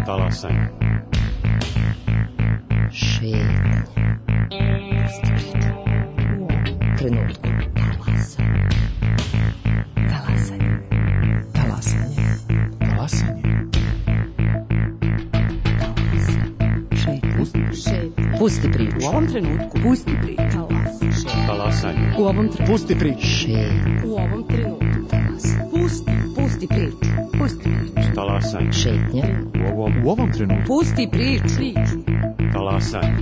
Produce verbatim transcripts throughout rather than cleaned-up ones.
Talasanje. Šetnje. U ovom trenutku. Talasanje. Talasanje. Talasanje. Talasanje. Šetnje. Pusti priču. U ovom trenutku. Pusti priču. Talasanje. U ovom trenutku. Pusti priču. Šetnje. U ovom trenutku. Talasanje. Pusti, pusti priču. Pusti priču. Talasanje. Šetnje. U ovom, U ovom trenutku. Pusti priču. Priču. talasanje.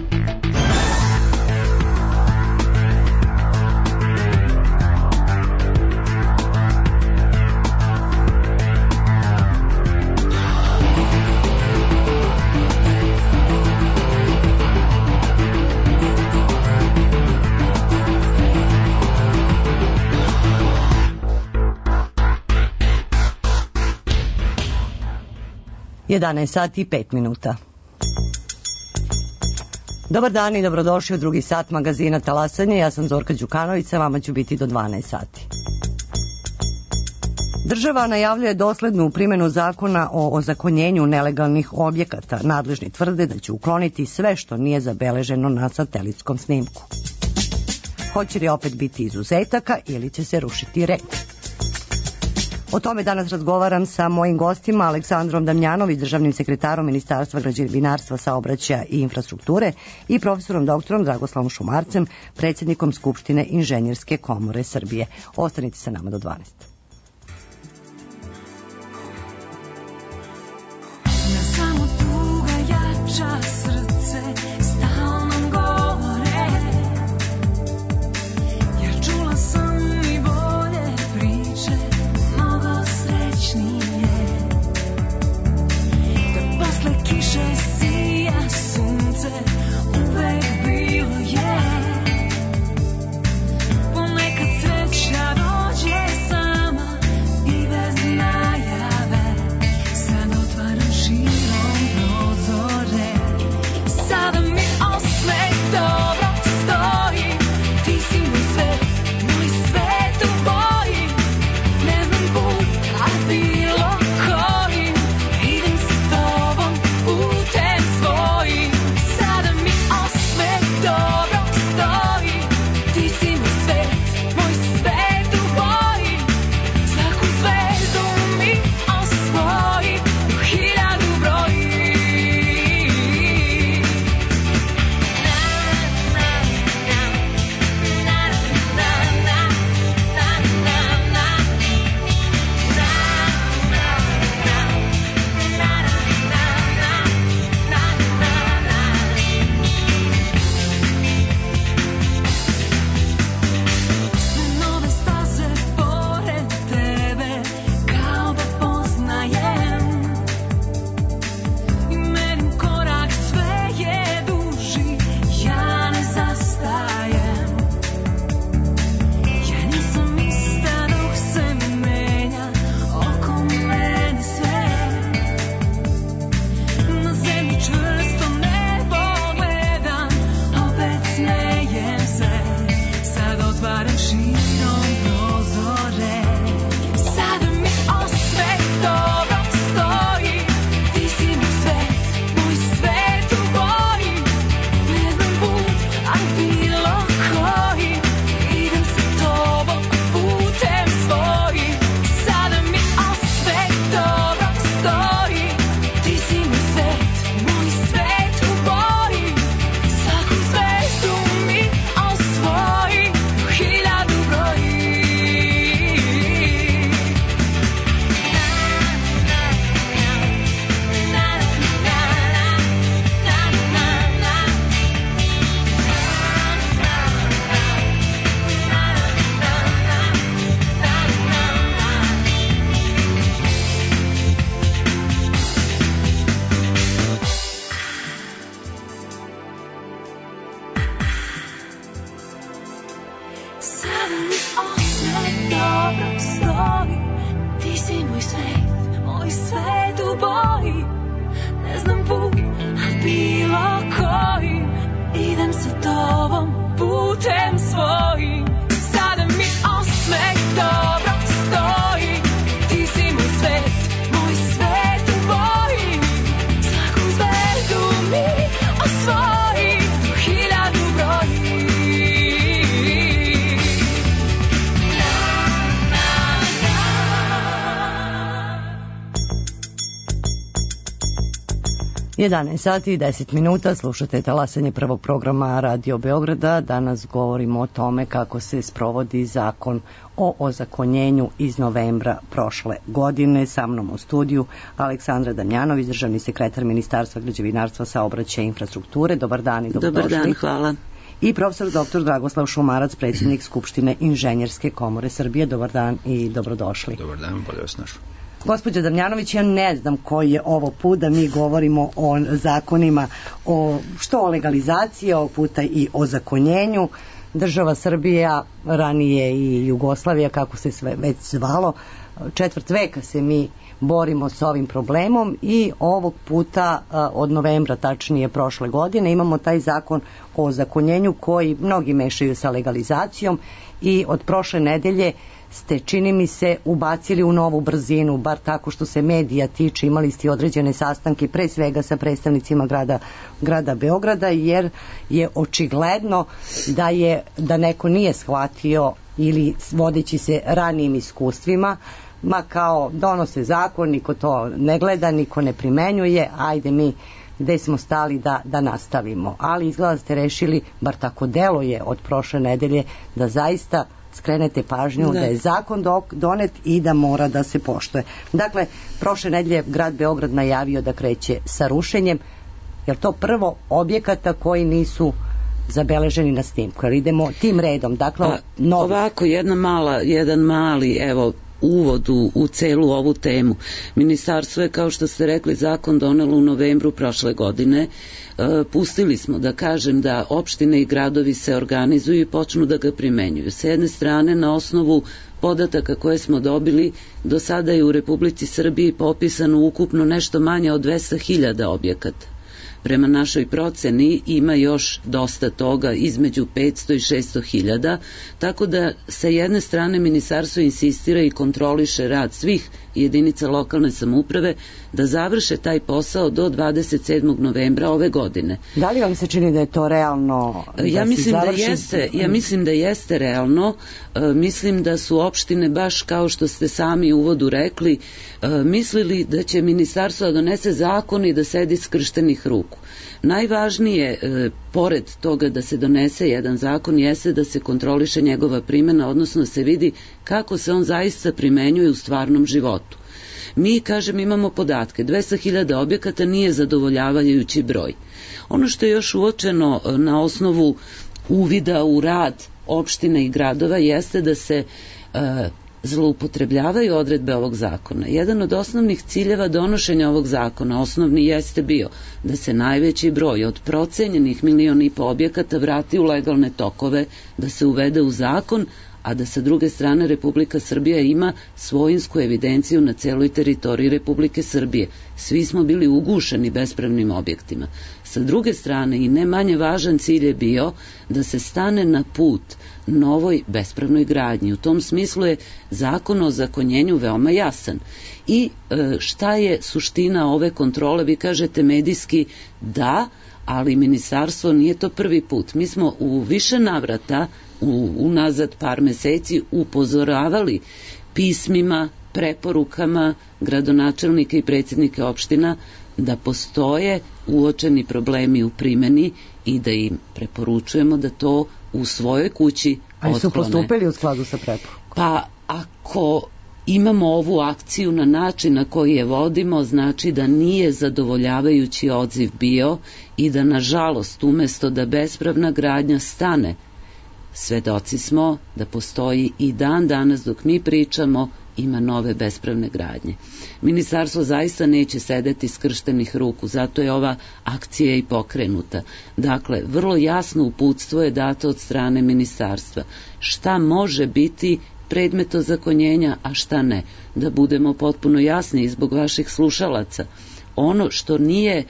jedanaest sati i pet minuta. Dobar dan i dobrodošli u drugi sat magazina Talasanje. Ja sam Zorka Đukanović, sa vama ću biti do dvanaest sati. Država najavljuje doslednu primjenu zakona o ozakonjenju nelegalnih objekata. Nadležni tvrde da će ukloniti sve što nije zabeleženo na satelitskom snimku. Hoće li opet biti izuzetaka ili će se rušiti red? O tome danas razgovaram sa mojim gostima, Aleksandrom Damjanović, državnim sekretarom Ministarstva građevinarstva, saobraćaja i infrastrukture, i profesorom doktorom Dragoslavom Šumarcem, predsjednikom Skupštine Inženjerske komore Srbije. Ostanite sa nama do dvanaest. jedanaest sati i deset minuta, slušate talasanje prvog programa Radio Beograda. Danas govorimo o tome kako se sprovodi zakon o ozakonjenju iz novembra prošle godine. Sa mnom u studiju Aleksandra Damjanović, državni sekretar Ministarstva građevinarstva, saobraćaja i infrastrukture. Dobar dan i dobrodošli. Dobar dan, hvala. I profesor doktor Dragoslav Šumarac, predsjednik Skupštine Inženjerske komore Srbije. Dobar dan i dobrodošli. Dobar dan, bolje vas našao. Gospođo Damjanović, ja ne znam koji je ovo put da mi govorimo o zakonima, o, što o legalizaciji, ovog puta i o zakonjenju. Država Srbija, ranije i Jugoslavija, kako se sve već zvalo, četvrt veka se mi borimo s ovim problemom i ovog puta od novembra, tačnije prošle godine, imamo taj zakon o ozakonjenju koji mnogi mešaju sa legalizacijom i od prošle nedelje ste, čini mi se, ubacili u novu brzinu, bar tako što se medija tiče. Imali ste određene sastanke, pre svega sa predstavnicima grada, grada Beograda, jer je očigledno da je da neko nije shvatio ili vodeći se ranijim iskustvima, ma kao donose zakon, niko to ne gleda, niko ne primenjuje, ajde mi gde smo stali da, da nastavimo. Ali izgleda ste rešili, bar tako deluje od prošle nedelje, da zaista skrenete pažnju da, da je zakon dok, donet i da mora da se poštuje. Dakle, prošle nedelje grad Beograd najavio da kreće sa rušenjem. Je to prvo objekata koji nisu zabeleženi na snimku? Jer idemo tim redom. Dakle, A, ovako, jedna mala, jedan mali, evo, uvod u, u celu ovu temu. Ministarstvo je, kao što ste rekli, zakon donelo u novembru prošle godine. E, pustili smo, da kažem, da opštine i gradovi se organizuju i počnu da ga primenjuju. S jedne strane, na osnovu podataka koje smo dobili, do sada je u Republici Srbiji popisano ukupno nešto manje od dvesta hiljada objekata. Prema našoj proceni ima još dosta toga, između petsto i šesto hiljada, tako da sa jedne strane ministarstvo insistira i kontroliše rad svih jedinica lokalne samouprave da završe taj posao do dvadeset sedmog novembra ove godine. Da li vam se čini da je to realno? Da ja mislim da završi... jeste, ja mislim da jeste realno. E, mislim da su opštine, baš kao što ste sami u uvodu rekli, e, mislili da će ministarstvo da donese zakon i da sedi skrštenih ruku. Najvažnije, e, pored toga da se donese jedan zakon, jeste da se kontroliše njegova primjena, odnosno da se vidi kako se on zaista primenjuje u stvarnom životu. Mi, kažem, imamo podatke, dvesta hiljada objekata nije zadovoljavajući broj. Ono što je još uočeno na osnovu uvida u rad opštine i gradova jeste da se e, zloupotrebljavaju odredbe ovog zakona. Jedan od osnovnih ciljeva donošenja ovog zakona, osnovni jeste bio da se najveći broj od procenjenih milion i po objekata vrati u legalne tokove, da se uvede u zakon, a da sa druge strane Republika Srbija ima svojinsku evidenciju na celoj teritoriji Republike Srbije. Svi smo bili ugušeni bespravnim objektima. Sa druge strane, i ne manje važan cilj je bio da se stane na put novoj bespravnoj gradnji. U tom smislu je zakon o ozakonjenju veoma jasan. I e, šta je suština ove kontrole? Vi kažete medijski da, ali ministarstvo nije to prvi put. Mi smo u više navrata u, unazad par meseci upozoravali pismima, preporukama gradonačelnika i predsjednika opština da postoje uočeni problemi u primjeni i da im preporučujemo da to u svojoj kući otklone. Ali su postupili u skladu sa preporukom? Pa ako imamo ovu akciju na način na koji je vodimo, znači da nije zadovoljavajući odziv bio i da, nažalost, umesto da bespravna gradnja stane, svedoci smo da postoji i dan danas dok mi pričamo ima nove bespravne gradnje. Ministarstvo zaista neće sedeti skrštenih ruku, zato je ova akcija i pokrenuta. Dakle, vrlo jasno uputstvo je dato od strane ministarstva. Šta može biti predmet ozakonjenja, a šta ne? Da budemo potpuno jasni zbog vaših slušalaca. Ono što nije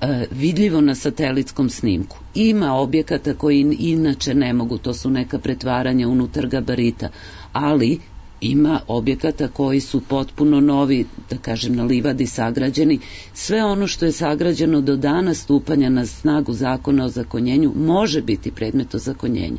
e, vidljivo na satelitskom snimku. Ima objekata koji inače ne mogu, to su neka pretvaranja unutar gabarita, ali ima objekata koji su potpuno novi, da kažem, na livadi sagrađeni. Sve ono što je sagrađeno do dana stupanja na snagu zakona o ozakonjenju može biti predmet ozakonjenja.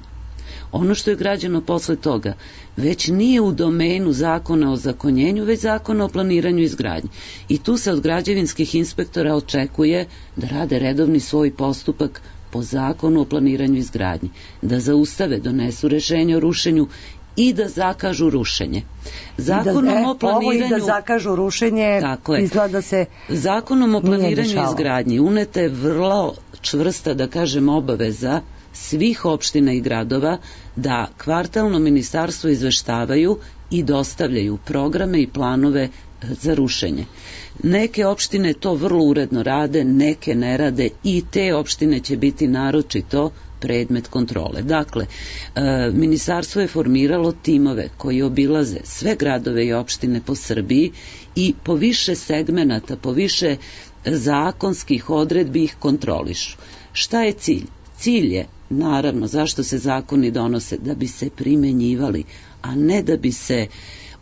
Ono što je građeno posle toga već nije u domenu zakona o zakonjenju, već zakona o planiranju i izgradnji. I tu se od građevinskih inspektora očekuje da rade redovni svoj postupak po zakonu o planiranju i izgradnji, da zaustave, donesu rešenje o rušenju i da zakažu rušenje. Zakonom I da, e, o planiranju... Ovo i da zakažu rušenje, izgleda se... Zakonom o planiranju i izgradnji uneta je vrlo čvrsta, da kažem, obaveza svih opština i gradova da kvartalno ministarstvo izveštavaju i dostavljaju programe i planove za rušenje. Neke opštine to vrlo uredno rade, neke ne rade i te opštine će biti naročito predmet kontrole. Dakle, e, ministarstvo je formiralo timove koji obilaze sve gradove i opštine po Srbiji i po više segmenata, po više zakonskih odredbi ih kontrolišu. Šta je cilj? Cilj je, naravno, zašto se zakoni donose? Da bi se primenjivali, a ne da bi se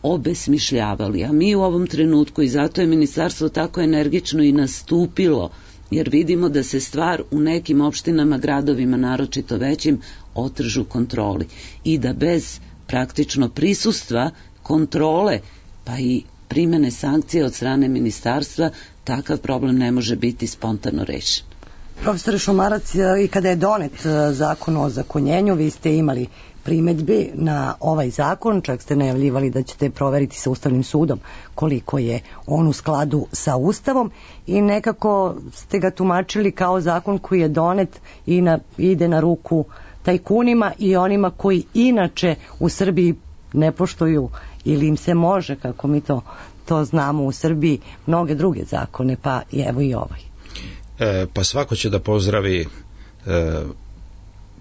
obesmišljavali. A mi u ovom trenutku, i zato je ministarstvo tako energično i nastupilo, jer vidimo da se stvar u nekim opštinama, gradovima, naročito većim, otržu kontroli i da bez praktično prisustva, kontrole, pa i primene sankcije od strane ministarstva, takav problem ne može biti spontano rešen. Profesor Šumarac, i kada je donet zakon o zakonjenju, vi ste imali primedbi na ovaj zakon, čak ste najavljivali da ćete proveriti sa Ustavnim sudom koliko je on u skladu sa Ustavom i nekako ste ga tumačili kao zakon koji je donet i na, ide na ruku tajkunima i onima koji inače u Srbiji ne poštuju ili im se može, kako mi to, to znamo u Srbiji, mnoge druge zakone, pa i evo i ovaj. E, pa svako će da pozdravi e,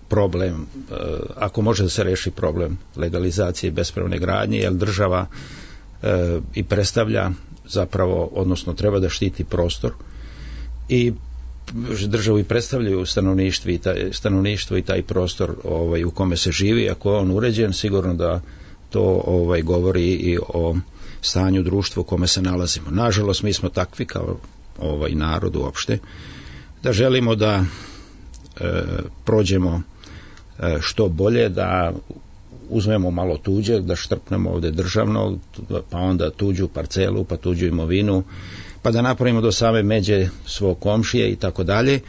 problem, e, ako može da se reši problem legalizacije bespravne gradnje, jer država e, i predstavlja zapravo, odnosno treba da štiti prostor i državu i predstavljaju stanovništvo i taj, stanovništvo i taj prostor ovaj, u kome se živi. Ako je on uređen, sigurno da to ovaj, govori i o stanju društva u kome se nalazimo. Nažalost, mi smo takvi kao ovaj narod uopšte, da želimo da e, prođemo e, što bolje, da uzmemo malo tuđe, da štrpnemo ovde državno, pa onda tuđu parcelu, pa tuđu imovinu, pa da napravimo do same međe svog komšije i tako dalje,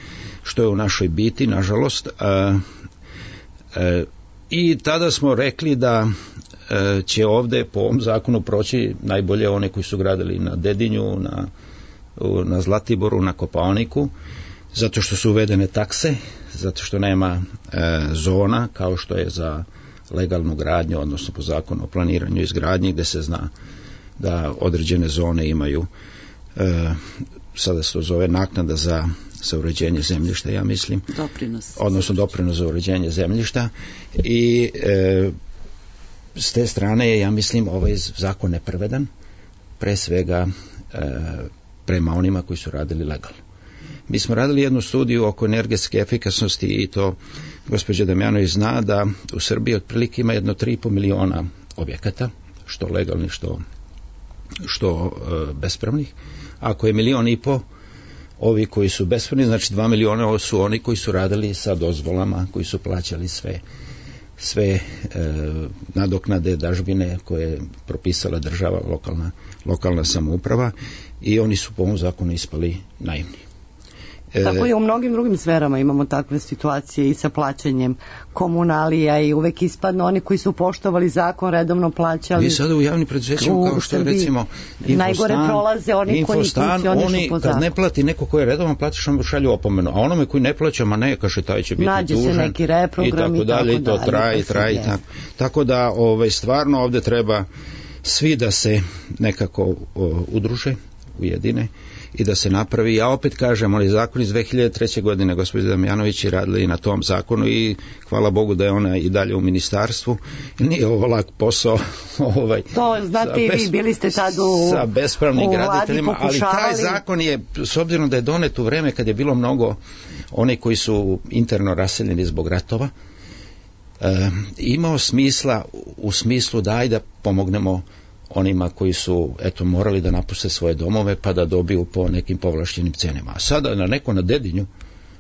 što je u našoj biti, nažalost. E, e, I tada smo rekli da e, će ovde po ovom zakonu proći najbolje one koji su gradili na Dedinju, na na Zlatiboru, na Kopaoniku, zato što su uvedene takse, zato što nema e, zona kao što je za legalnu gradnju, odnosno po zakonu o planiranju i izgradnji, gde se zna da određene zone imaju, e, sada se to zove naknada za, za uređenje zemljišta, ja mislim. Doprinos. Odnosno doprinos za uređenje zemljišta i e, s te strane je, ja mislim, ovaj zakon nepravedan, pre svega e, prema onima koji su radili legalno. Mi smo radili jednu studiju oko energetske efikasnosti i to gospođa Damjanović zna da u Srbiji otprilike ima jedno tri i po miliona objekata, što legalnih, što, što e, bespravnih. Ako je milion i po ovi koji su bespravni, znači dva miliona ovo su oni koji su radili sa dozvolama, koji su plaćali sve sve e, nadoknade, dažbine koje je propisala država, lokalna, lokalna samouprava i oni su po ovom zakonu ispali naivni. E, Tako je u mnogim drugim sferama imamo takve situacije i sa plaćanjem komunalija i uvek ispadno oni koji su poštovali zakon redovno plaćali. Vi sada u javnim preduzećima kao što je recimo Infostan, najgore prolaze oni Infostan, koji oni po kad zakon. ne plati neko ko je redovno platiš, on šalju opomenu, a onome koji ne plaća, ma ne, kaže taj će biti nađe tužan se neki reprogram i tako dalje, i to traje, traje, tako. Tako da ovaj, stvarno ovde treba svi da se nekako o, udruže, ujedine i da se napravi. Ja opet kažem, onaj zakon iz dve hiljade treće. godine, gospođa Damjanović je radila i na tom zakonu i hvala Bogu da je ona i dalje u ministarstvu. Nije ovo lak posao. Ovaj, to znate i vi, bili ste tad u sa bespravnim graditeljima, ali taj zakon je, s obzirom da je donet u vreme kad je bilo mnogo oni koji su interno raseljeni zbog ratova, e, imao smisla u smislu da ajde da pomognemo onima koji su eto morali da napuste svoje domove pa da dobiju po nekim povlašćenim cenama. A sada na neko na Dedinju,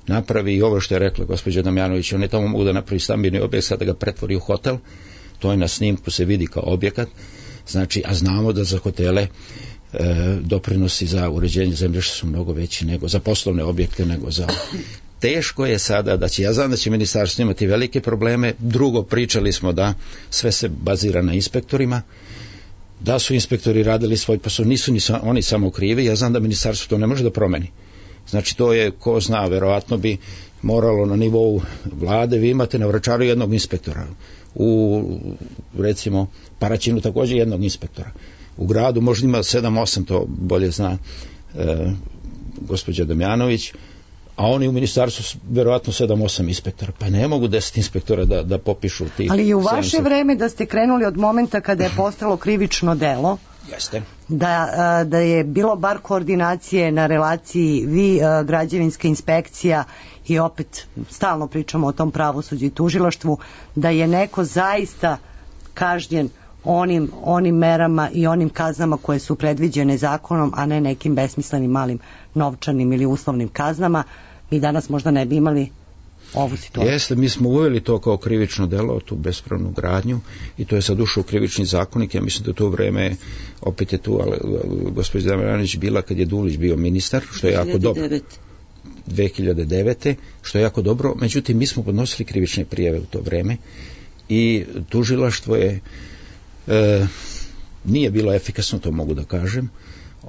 napravi i ovo što je rekla gospođa Damjanović, oni tamo mogu da napravi stambeni objekt, sad da ga pretvori u hotel, to je na snimku se vidi kao objekat, znači, a znamo da za hotele e, doprinosi za uređenje zemljišta su mnogo veći nego za poslovne objekte, nego za... Teško je sada da će, ja znam da će ministarstvo imati velike probleme, drugo, pričali smo da sve se bazira na inspektorima, da su inspektori radili svoj posao, nisu ni sa, oni samo krivi, ja znam da ministarstvo to ne može da promeni. Znači to je, ko zna, verovatno bi moralo na nivou vlade, vi imate na Vračaru jednog inspektora, u recimo Paraćinu također jednog inspektora, u gradu možda ima sedam osam, to bolje zna e, gospođa Damjanović, a oni u ministarstvu verovatno sedam osam inspektora, pa ne mogu deset inspektora da, da popišu tih. Ali i u vaše sedamsto vreme da ste krenuli od momenta kada je postalo krivično delo, Jeste. Da, da je bilo bar koordinacije na relaciji vi, građevinska inspekcija i opet stalno pričamo o tom pravosuđu i tužilaštvu, da je neko zaista kažnjen onim, onim merama i onim kaznama koje su predviđene zakonom, a ne nekim besmislenim malim novčanim ili uslovnim kaznama, mi danas možda ne bi imali ovu situaciju. Jeste, mi smo uveli to kao krivično delo, tu bespravnu gradnju, i to je sad ušao u krivični zakonik. Ja mislim da to vreme, opet je tu gospođa Damjanović bila kad je Dulić bio ministar, što je jako dobro. dve hiljade devete što je jako dobro. Međutim, mi smo podnosili krivične prijave u to vreme i tužilaštvo je e, nije bilo efikasno, to mogu da kažem,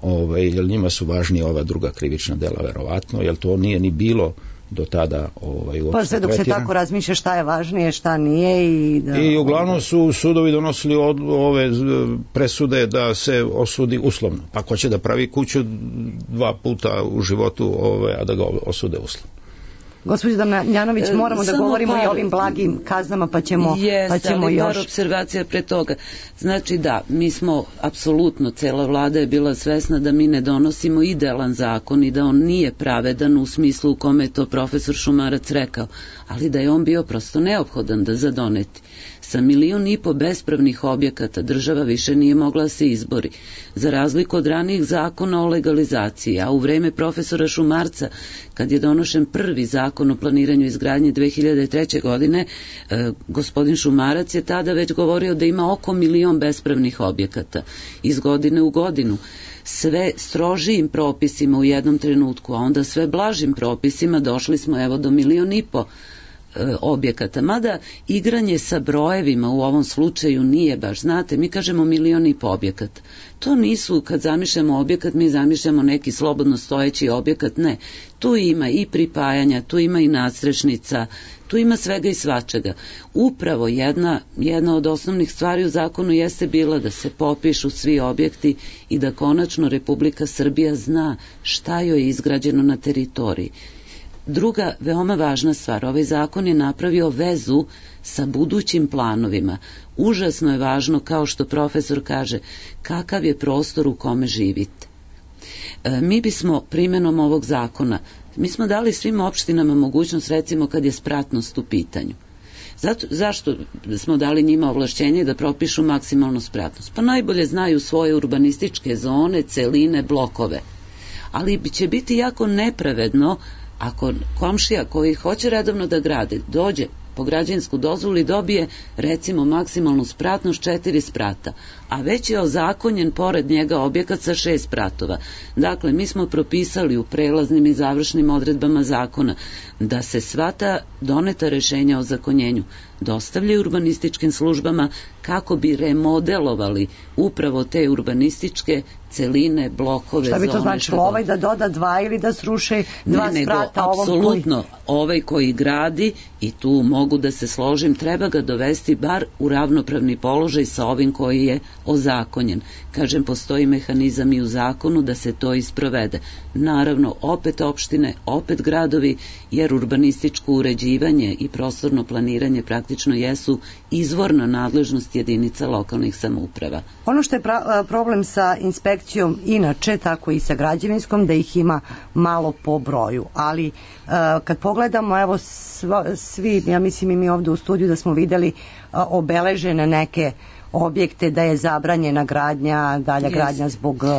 ovaj, jer njima su važnije ova druga krivična dela, verovatno, jer to nije ni bilo do tada ovaj, pa sve dok se tako razmišlja šta je važnije, šta nije i da... I uglavnom su sudovi donosili od, ove presude da se osudi uslovno, pa ko će da pravi kuću dva puta u životu, ove, a da ga osude uslovno. Gospođo Damjanović, moramo e, da govorimo par, i o ovim blagim kaznama, pa ćemo, jest, pa ćemo ali još... par observacija pre toga. Znači da, mi smo apsolutno, cela vlada je bila svesna da mi ne donosimo idealan zakon i da on nije pravedan u smislu u kome je to profesor Šumarac rekao, ali da je on bio prosto neophodan da zadoneti. Sa milion i po bespravnih objekata država više nije mogla se izbori. Za razliku od ranijih zakona o legalizaciji, a u vreme profesora Šumarca, kad je donošen prvi zakon o planiranju izgradnje dve hiljade treće. godine, eh, gospodin Šumarac je tada već govorio da ima oko milion bespravnih objekata. Iz godine u godinu sve strožijim propisima u jednom trenutku, a onda sve blažim propisima došli smo evo do milion i po objekata, mada igranje sa brojevima u ovom slučaju nije baš, znate, mi kažemo milion i po objekata, to nisu, kad zamišljamo objekat, mi zamišljamo neki slobodno stojeći objekat, ne, tu ima i pripajanja, tu ima i nadstrešnica, tu ima svega i svačega. Upravo jedna, jedna od osnovnih stvari u zakonu jeste bila da se popišu svi objekti i da konačno Republika Srbija zna šta joj je izgrađeno na teritoriji. Druga veoma važna stvar, ovaj zakon je napravio vezu sa budućim planovima. Užasno je važno, kao što profesor kaže, kakav je prostor u kome živite. E, mi bismo primjenom ovog zakona, mi smo dali svim opštinama mogućnost, recimo kad je spratnost u pitanju. Zato, zašto smo dali njima ovlašćenje da propišu maksimalnu spratnost? Pa najbolje znaju svoje urbanističke zone, celine, blokove. Ali će biti jako nepravedno ako komšija koji hoće redovno da gradi dođe po građevinsku dozvolu i dobije recimo maksimalnu spratnost četiri sprata, a već je ozakonjen pored njega objekat sa šest spratova. Dakle, mi smo propisali u prelaznim i završnim odredbama zakona da se sva ta doneta rešenja o zakonjenju dostavljaju urbanističkim službama kako bi remodelovali upravo te urbanističke celine, blokove, šta bi to zone, značilo, ovaj da doda dva ili da sruše dva ne, sprata nego, ovom apsolutno, koji... ovaj koji gradi, i tu mogu da se složim, treba ga dovesti bar u ravnopravni položaj sa ovim koji je ozakonjen. Kažem, postoji mehanizam i u zakonu da se to isprovede. Naravno, opet opštine, opet gradovi, jer urbanističko uređivanje i prostorno planiranje praktično jesu izvorna nadležnost jedinica lokalnih samouprava. Ono što je pra- problem sa inspekcijom inače, tako i sa građevinskom, da ih ima malo po broju, ali uh, kad pogledamo, evo sva, svi, ja mislim i mi ovde u studiju da smo videli uh, obeležene neke objekte, da je zabranjena gradnja, dalja Jest. gradnja zbog uh,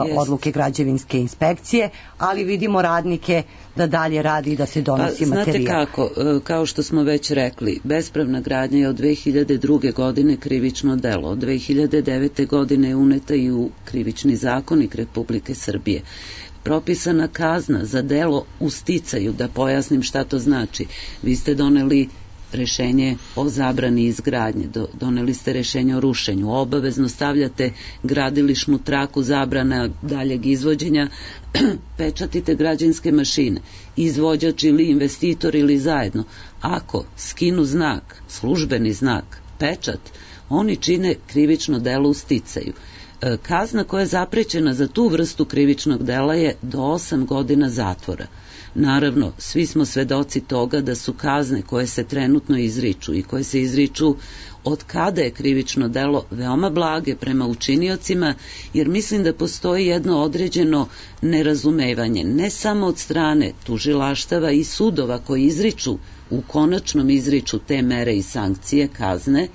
Jest. odluke građevinske inspekcije, ali vidimo radnike da dalje radi i da se donosi Pa, znate materijal. kako, e, kao što smo već rekli, bespravna gradnja je od dve hiljade druge. godine krivično delo. Od dve hiljade devete. godine je uneta i u krivični zakonik Republike Srbije. Propisana kazna za delo u sticaju, da pojasnim šta to znači. Vi ste doneli rešenje o zabrani izgradnje, do, doneli ste rešenje o rušenju, obavezno stavljate gradilišnu traku zabrana daljeg izvođenja, pečatite građevinske mašine, izvođač ili investitor ili zajedno. Ako skinu znak, službeni znak, pečat, oni čine krivično delo u sticaju. E, kazna koja je zaprećena za tu vrstu krivičnog dela je do osam godina zatvora. Naravno, svi smo svedoci toga da su kazne koje se trenutno izriču i koje se izriču od kada je krivično delo veoma blage prema učiniocima, jer mislim da postoji jedno određeno nerazumevanje, ne samo od strane tužilaštava i sudova koji izriču, u konačnom izriču te mere i sankcije, kazne,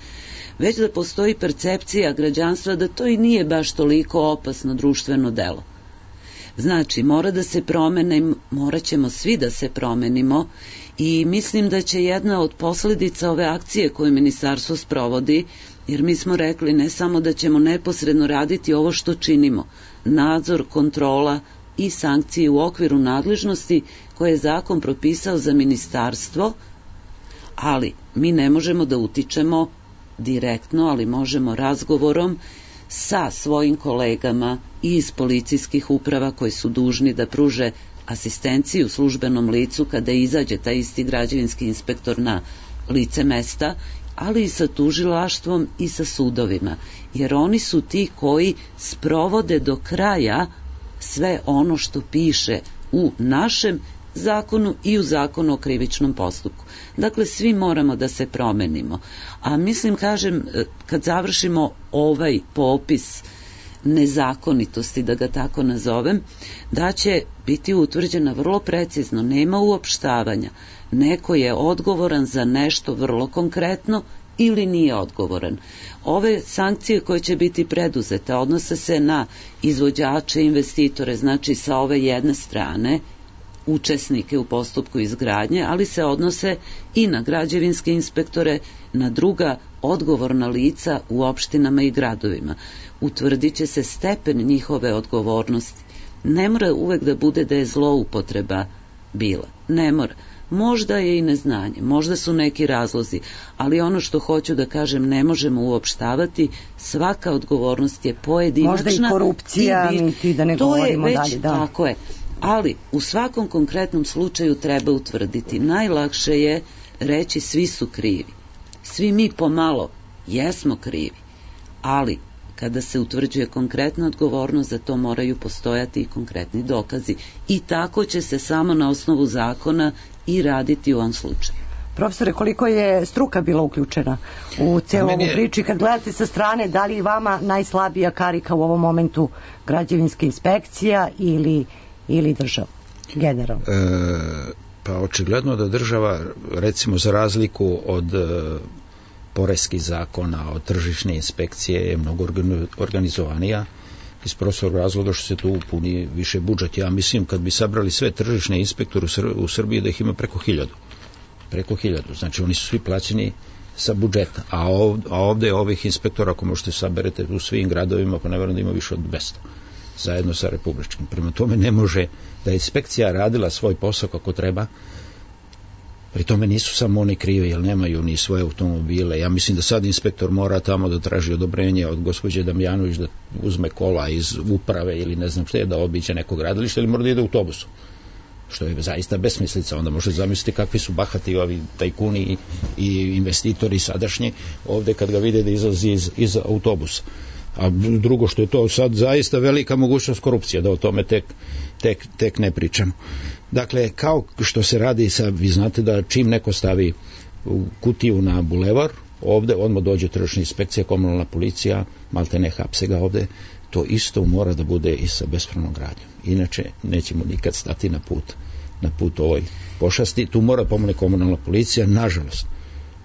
već da postoji percepcija građanstva da to i nije baš toliko opasno društveno delo. Znači, mora da se promene, morat ćemo svi da se promenimo i mislim da će jedna od posledica ove akcije koju ministarstvo sprovodi, jer mi smo rekli ne samo da ćemo neposredno raditi ovo što činimo, nadzor, kontrola i sankcije u okviru nadležnosti koje je zakon propisao za ministarstvo, ali mi ne možemo da utičemo direktno, ali možemo razgovorom sa svojim kolegama i iz policijskih uprava koji su dužni da pruže asistenciju službenom licu kada izađe taj isti građevinski inspektor na lice mesta, ali i sa tužilaštvom i sa sudovima, jer oni su ti koji sprovode do kraja sve ono što piše u našem zakonu i u zakonu o krivičnom postupku. Dakle, svi moramo da se promenimo. A mislim, kažem, kad završimo ovaj popis nezakonitosti, da ga tako nazovem, da će biti utvrđena vrlo precizno, nema uopštavanja. Neko je odgovoran za nešto vrlo konkretno ili nije odgovoran. Ove sankcije koje će biti preduzete odnose se na izvođače, investitore, znači sa ove jedne strane, učesnike u postupku izgradnje, ali se odnose i na građevinske inspektore, na druga odgovorna lica u opštinama i gradovima. Utvrdit će se stepen njihove odgovornosti. Ne mora uvek da bude da je zloupotreba bila. Ne mora. Možda je i neznanje, možda su neki razlozi, ali ono što hoću da kažem, ne možemo uopštavati, svaka odgovornost je pojedinačna. Možda i korupcija, i mi da ne to govorimo je već, dalje. Da. Tako je. Ali u svakom konkretnom slučaju treba utvrditi. Najlakše je reći svi su krivi. Svi mi pomalo jesmo krivi, ali kada se utvrđuje konkretna odgovornost, za to moraju postojati i konkretni dokazi. I tako će se samo na osnovu zakona i raditi u ovom slučaju. Profesore, koliko je struka bila uključena u cijelu ovu je... priču? Kad gledate sa strane, da li je vama najslabija karika u ovom momentu građevinska inspekcija ili, ili država? Generalno. E, pa očigledno da država, recimo za razliku od e, poreskih zakona, od tržišne inspekcije, je mnogo organizovanija iz prostog razloga što se tu puni više budžet. Ja mislim kad bi sabrali sve tržišne inspektore u Srbiji da ih ima preko hiljadu. Preko hiljadu. Znači oni su svi plaćeni sa budžeta. A ovdje, a ovdje ovih inspektora, ako možete saberete u svim gradovima, pa ne verujem da ima više od dvesta. Zajedno sa republičkim. Prema tome ne može da je inspekcija radila svoj posao kako treba. Pri tome nisu samo oni krivi, jer nemaju ni svoje automobile. Ja mislim da sad inspektor mora tamo da traži odobrenje od gospođe Damjanović da uzme kola iz uprave ili ne znam što je, da obiđe neko gradilište, ili mora da ide autobusom. Što je zaista besmislica. Onda možete zamisliti kakvi su bahati ovi tajkuni i, i investitori sadašnji ovdje kad ga vide da izlazi iz, iz autobusa. A drugo što je to sad zaista velika mogućnost korupcije, da o tome tek, tek, tek ne pričamo. Dakle, kao što se radi sa, vi znate da čim neko stavi u kutiju na bulevar, ovdje odmah dođe tržišna inspekcija, komunalna policija, malte ne hapse ga ovdje, to isto mora da bude i sa bespravnom gradnjom. Inače, nećemo nikad stati na put, na put ovoj pošasti. Tu mora pomoći komunalna policija, nažalost.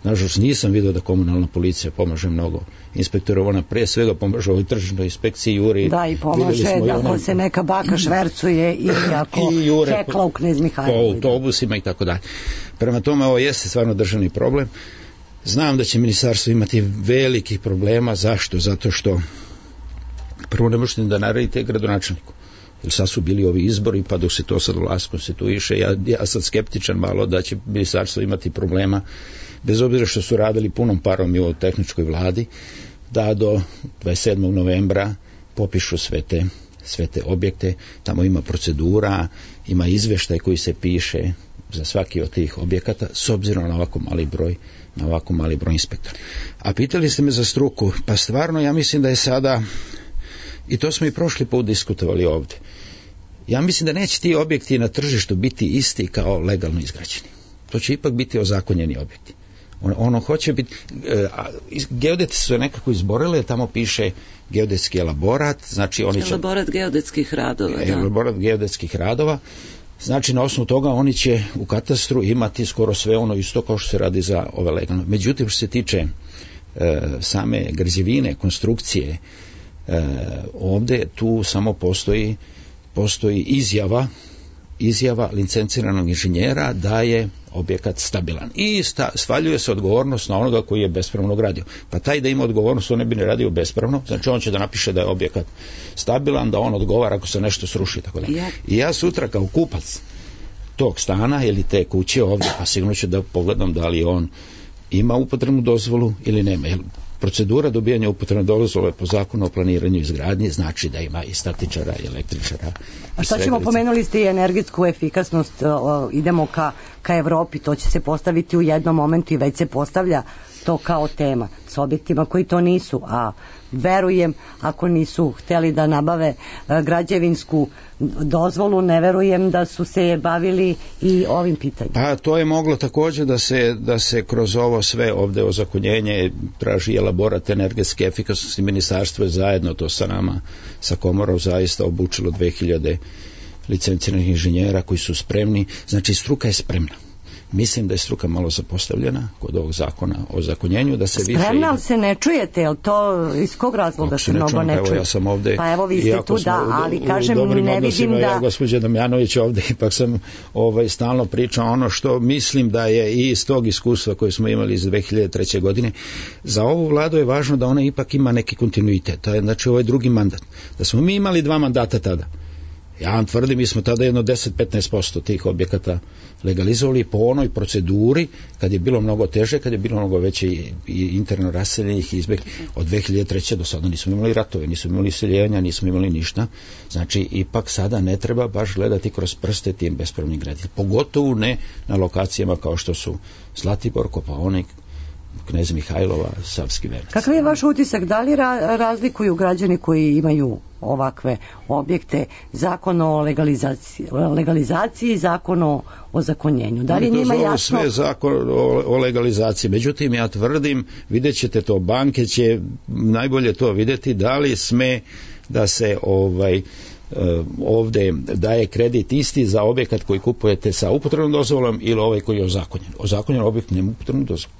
Nažalost, nisam vidio da komunalna policija pomaže mnogo. Inspektora, ona pre svega pomaže ovoj tržišnoj inspekciji, juri. Da, i pomaže da ako se neka baka švercuje i ako hekla u Knez Mihajlovu. Po autobusima i tako dalje. Prema tome, ovo jeste stvarno državni problem. Znam da će ministarstvo imati velikih problema. Zašto? Zato što prvo ne možete da naredite gradonačelniku. Jer sad su bili ovi izbori, pa dok se to sad vlast konstituiše, ja, ja sam skeptičan malo da će ministarstvo imati problema, bez obzira što su radili punom parom i u tehničkoj vladi, da do dvadeset sedmog novembra popišu sve te, sve te objekte. Tamo ima procedura, ima izveštaj koji se piše za svaki od tih objekata, s obzirom na ovako mali broj na ovako mali broj inspektora. A pitali ste me za struku, pa stvarno ja mislim da je sada, i to smo i prošli put diskutovali ovdje, ja mislim da neće ti objekti na tržištu biti isti kao legalno izgrađeni. To će ipak biti ozakonjeni objekti. Ono, ono hoće biti, e, geodeti su nekako izborili, tamo piše geodetski elaborat, znači oni će... Elaborat geodetskih radova, da. Elaborat geodetskih radova, znači na osnovu toga oni će u katastru imati skoro sve ono isto kao što se radi za ove legalno. Međutim, što se tiče e, same građevine, konstrukcije, e, ovdje tu samo postoji postoji izjava izjava licenciranog inženjera da je objekat stabilan. I sta, svaljuje se odgovornost na onoga koji je bespravno gradio. Pa taj da ima odgovornost, on ne bi ne radio bespravno, znači on će da napiše da je objekat stabilan, da on odgovara ako se nešto sruši. Tako da. Ja. I ja sutra kao kupac tog stana ili te kuće ovdje, pa sigurno ću da pogledam da li on ima upotrebnu dozvolu ili nema. Jer procedura dobijanja upotrebne dozvole po zakonu o planiranju izgradnje znači da ima i statičara i električara. A šta ćemo, pomenuli ste i energetsku efikasnost, o, idemo ka, ka Evropi, to će se postaviti u jednom momentu i već se postavlja to kao tema s objektima koji to nisu, a verujem ako nisu hteli da nabave a, građevinsku dozvolu, ne verujem da su se bavili i ovim pitanjem. Pa to je moglo također da se, da se kroz ovo sve ovdje ozakonjenje traži elaborat energetske efikasnosti. Ministarstvo je zajedno to sa nama, sa komorom zaista obučilo dve hiljade licenciranih inženjera koji su spremni, znači struka je spremna. Mislim da je struka malo zapostavljena kod ovog zakona o zakonjenju, da se više... Spremna, ali se ne čujete, jel to iz kog razloga se mnogo ne čuje? Evo, ja sam ovdje, pa evo vi ste tu, da, ali u, kažem, u ne vidim da... Ja, gospođa Damjanović, ovdje ipak sam ovaj, stalno pričao ono što mislim da je i iz tog iskustva koje smo imali iz dve hiljade treće. godine. Za ovu vladu je važno da ona ipak ima neki kontinuitet, to je, znači ovo je drugi mandat. Da smo mi imali dva mandata tada, ja vam tvrdim, mi smo tada jedno deset do petnaest posto tih objekata legalizovali po onoj proceduri kad je bilo mnogo teže, kad je bilo mnogo veće i, i interno raseljenih izbjeg. Od dve hiljade treće. do sada nismo imali ratove, nismo imali seljenja, nismo imali ništa. Znači, ipak sada ne treba baš gledati kroz prste tim bespravnim graditeljima. Pogotovo ne na lokacijama kao što su Zlatibor, Kopaonik, Knez Mihajlova, Savski Venac. Kakav je vaš utisak? Da li ra razlikuju građani koji imaju ovakve objekte zakon o legalizaciji, legalizaciji i zakon o ozakonjenju? Da li njima jasno... sve zakon o, o legalizaciji. Međutim, ja tvrdim, vidjet ćete to, banke će najbolje to vidjeti, da li sme da se ovaj ovdje daje kredit isti za objekat koji kupujete sa upotrebnom dozvolom ili ovaj koji je ozakonjen. Ozakonjen objekt nema upotrebnu dozvolu.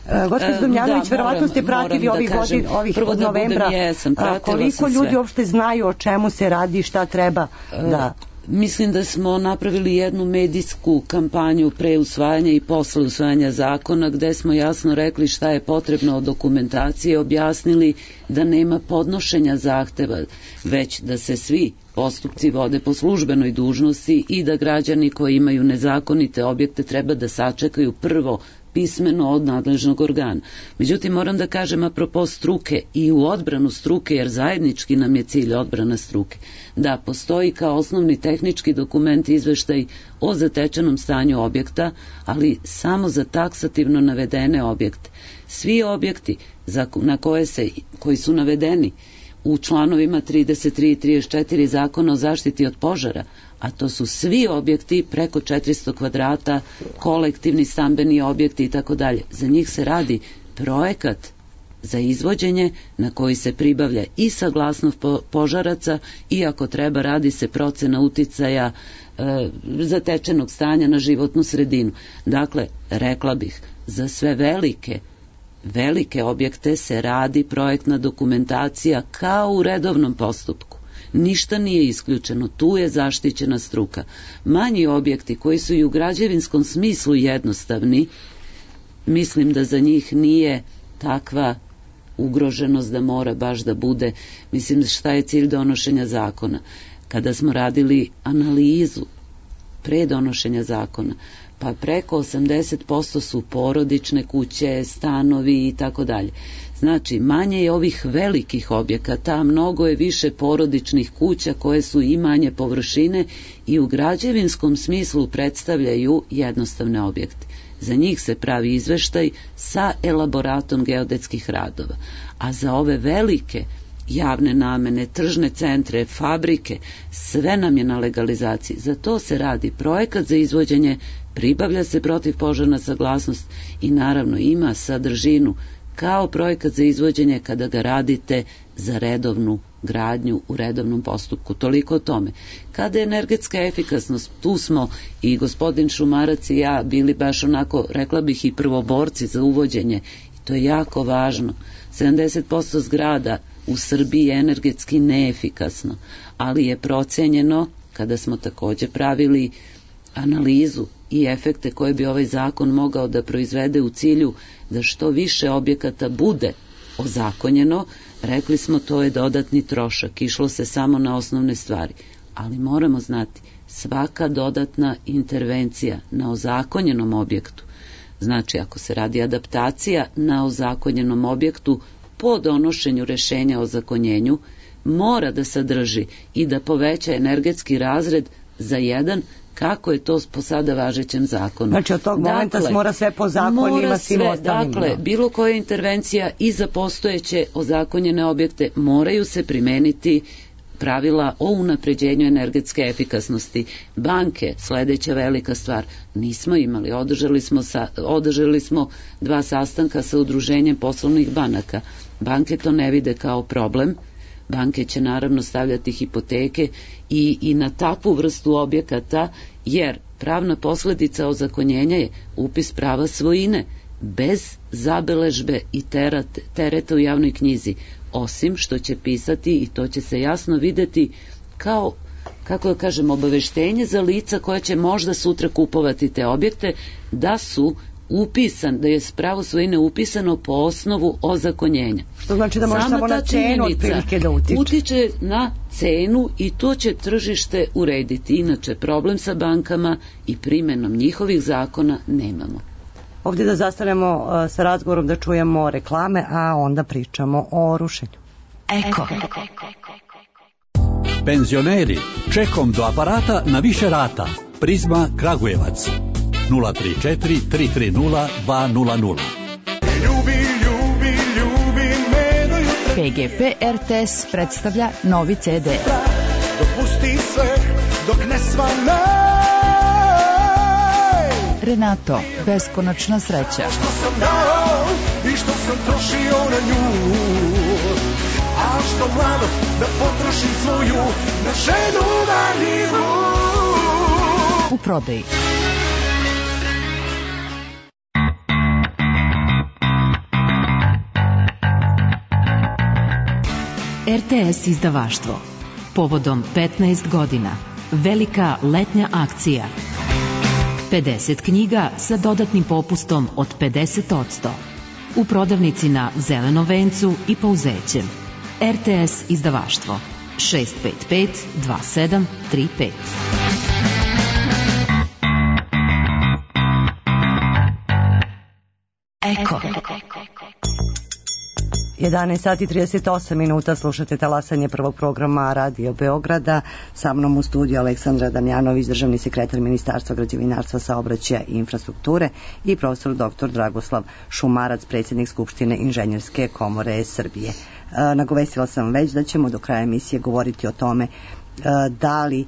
Uh, Gospođo Damjanović, verovatno ste pratili ovih godin, ovih od novembra, jesam, koliko ljudi sve. uopšte znaju o čemu se radi, šta treba da... Mislim da smo napravili jednu medijsku kampanju pre usvajanja i posle usvajanja zakona gde smo jasno rekli šta je potrebno od dokumentacije, objasnili da nema podnošenja zahteva, već da se svi postupci vode po službenoj dužnosti i da građani koji imaju nezakonite objekte treba da sačekaju prvo pismeno od nadležnog organa. Međutim, moram da kažem apropo struke i u odbranu struke, jer zajednički nam je cilj odbrana struke, da postoji kao osnovni tehnički dokument izveštaj o zatečenom stanju objekta, ali samo za taksativno navedene objekte. Svi objekti za, na koje se, koji su navedeni u članovima trideset tri i trideset četiri zakona o zaštiti od požara, a to su svi objekti preko četiristo kvadrata, kolektivni stambeni objekti i tako dalje. Za njih se radi projekat za izvođenje na koji se pribavlja i saglasnost požaraca i ako treba radi se procena uticaja e, zatečenog stanja na životnu sredinu. Dakle, rekla bih, za sve velike velike objekte se radi projektna dokumentacija kao u redovnom postupku. Ništa nije isključeno, tu je zaštićena struka. Manji objekti koji su i u građevinskom smislu jednostavni, mislim da za njih nije takva ugroženost da mora baš da bude, mislim šta je cilj donošenja zakona. Kada smo radili analizu pre donošenja zakona, pa preko osamdeset posto su porodične kuće, stanovi i tako dalje. Znači, manje je ovih velikih objekata, mnogo je više porodičnih kuća koje su i manje površine i u građevinskom smislu predstavljaju jednostavne objekte. Za njih se pravi izveštaj sa elaboratom geodetskih radova. A za ove velike javne namene, tržne centre, fabrike, sve nam je na legalizaciji. Za to se radi projekat za izvođenje, pribavlja se protivpožarna saglasnost i naravno ima sadržinu kao projekat za izvođenje kada ga radite za redovnu gradnju u redovnom postupku. Toliko o tome. Kada je energetska efikasnost, tu smo i gospodin Šumarac i ja bili baš onako, rekla bih, i prvoborci za uvođenje. I to je jako važno. sedamdeset posto zgrada u Srbiji je energetski neefikasno, ali je procenjeno, kada smo takođe pravili analizu i efekte koje bi ovaj zakon mogao da proizvede u cilju da što više objekata bude ozakonjeno, rekli smo to je dodatni trošak, išlo se samo na osnovne stvari, ali moramo znati, svaka dodatna intervencija na ozakonjenom objektu, znači ako se radi adaptacija na ozakonjenom objektu po donošenju rešenja o ozakonjenju, mora da sadrži i da poveća energetski razred za jedan, kako je to po sada važećem zakonu. Znači od tog momenta dakle, mora sve po zakonima svim ostalim. Dakle, bilo koja intervencija i za postojeće ozakonjene objekte moraju se primeniti pravila o unapređenju energetske efikasnosti. Banke, sledeća velika stvar, nismo imali, održali smo, sa, održali smo dva sastanka sa udruženjem poslovnih banaka. Banke to ne vide kao problem, banke će naravno stavljati hipoteke i, i na takvu vrstu objekata, jer pravna posledica ozakonjenja je upis prava svojine, bez zabeležbe i terate, tereta u javnoj knjizi, osim što će pisati, i to će se jasno videti kao, kako da kažem, obaveštenje za lica koja će možda sutra kupovati te objekte, da su upisan, da je pravo svojine upisano po osnovu ozakonjenja. Što znači da može samo, samo na cenu otprilike da utiče. Utiče na cenu i to će tržište urediti. Inače, problem sa bankama i primenom njihovih zakona nemamo. Ovdje da zastanemo uh, sa razgovorom, da čujemo reklame, a onda pričamo o rušenju. Eko. Penzioneri, čekom do aparata na više rata. Prizma Kragujevac. nula tri četiri tri tri nula dva nula nula. Ljubi, ljubi, ljubi me do jutra. P G P R T S predstavlja novi C D. Dopusti sve dok ne svanaj. Renato, beskonačna sreća. Što sam dao i što sam trošio na nju, a što mlado da potrošim svoju na ženu marljivu. U prodaji. R T S izdavaštvo. Povodom petnaest godina. Velika letnja akcija. pedeset knjiga sa dodatnim popustom od pedeset posto. U prodavnici na Zelenom vencu i Pouzećem. R T S izdavaštvo. šest pet pet dva sedam tri pet. Eko. jedanaest sati i trideset osam minuta, slušate talasanje prvog programa Radio Beograda. Sa mnom u studiju Aleksandra Damjanović, državni sekretar Ministarstva građevinarstva, saobraćaja i infrastrukture, i profesor doktor Dragoslav Šumarac, predsjednik Skupštine Inženjerske komore Srbije. E, nagovestila sam već da ćemo do kraja emisije govoriti o tome e, da li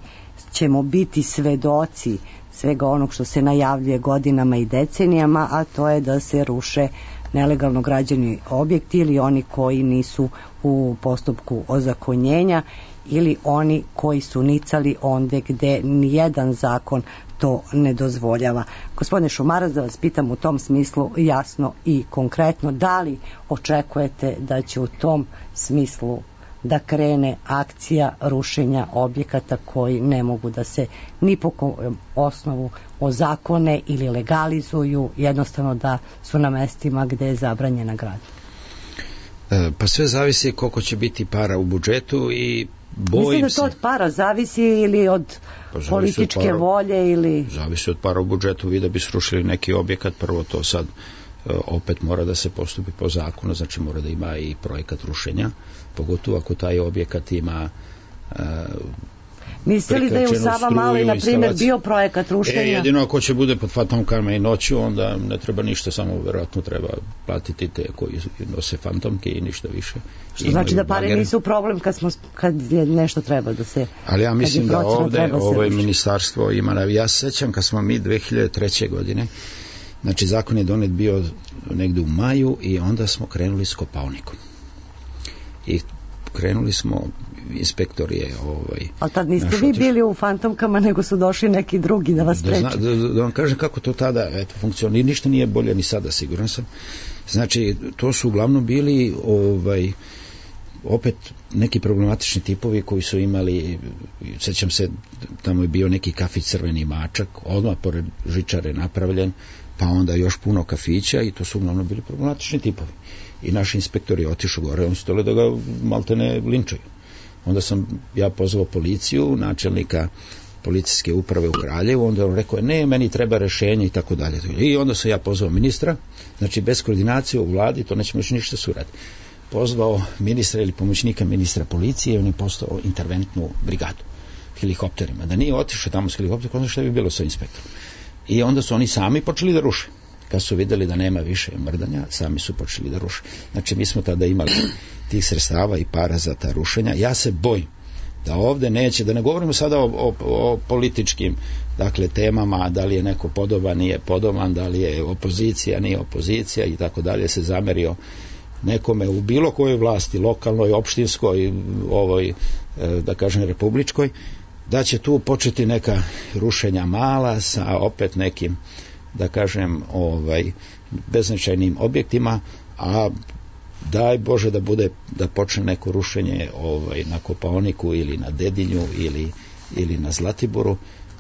ćemo biti svedoci svega onog što se najavljuje godinama i decenijama, a to je da se ruše nelegalno građeni objekti ili oni koji nisu u postupku ozakonjenja ili oni koji su nicali onde gde nijedan zakon to ne dozvoljava. Gospodine Šumarac, da vas pitam u tom smislu jasno i konkretno, da li očekujete da će u tom smislu da krene akcija rušenja objekata koji ne mogu da se ni po osnovu ozakone ili legalizuju, jednostavno da su na mestima gde je zabranjena gradnja? E, pa sve zavisi koliko će biti para u budžetu i bojim Mislim da se... to od para zavisi ili od pa političke od para, volje ili... Zavisi od para u budžetu, vi da bi srušili neki objekat, prvo to sad opet mora da se postupi po zakonu, znači mora da ima i projekat rušenja, pogotovo ako taj objekat ima uh, mislili da je u Sava Maloj, na primjer, bio projekat rušenja? E, jedino ako će bude pod fantomkama i noću, onda ne treba ništa, samo vjerojatno treba platiti te koji nose fantomke i ništa više. Što znači da pare bagere. Nisu problem kad, smo, kad je nešto treba da se... Ali ja mislim da ovde ovo ministarstvo ima... Ja se sećam kad smo mi dve hiljade treće. godine, znači zakon je donet bio negde u maju i onda smo krenuli s kopaonikom. I krenuli smo, inspektor je ovaj... Ali tad niste vi bili u fantomkama, nego su došli neki drugi da vas spreče. Da, da, da vam kažem kako to tada eto, funkcionira. Ništa nije bolje ni sada, siguran sam. Znači, to su uglavnom bili ovaj, opet neki problematični tipovi koji su imali, sećam se, tamo je bio neki kafić Crveni mačak, odmah pored žičare napravljen, pa onda još puno kafića i to su uglavnom bili problematični tipovi. I naš inspektor je otišao gore, on su tole da ga maltene linčaju. Onda sam ja pozvao policiju, načelnika policijske uprave u Kraljevu, onda on rekao, ne, meni treba rešenje i tako dalje. I onda sam ja pozvao ministra, znači bez koordinacije u vladi, to nećemo još ništa suraditi. Pozvao ministra ili pomoćnika ministra policije i on je postao interventnu brigadu helikopterima. Da nije otišao tamo s helikopterom, onda što bi bilo sa inspektorom. I onda su oni sami počeli da ruše. Kad su videli da nema više mrdanja, sami su počeli da ruše. Znači, mi smo tada imali tih sredstava i para za ta rušenja. Ja se bojim da ovde neće, da ne govorimo sada o, o, o političkim dakle, temama, da li je neko podoban, nije podoban, da li je opozicija, nije opozicija i tako dalje, se zamerio nekome u bilo kojoj vlasti, lokalnoj, opštinskoj, ovoj, da kažem, republičkoj, da će tu početi neka rušenja mala sa opet nekim, da kažem, ovaj, beznačajnim objektima, a daj Bože da bude, da počne neko rušenje ovaj, na Kopaoniku ili na Dedinju ili, ili na Zlatiboru.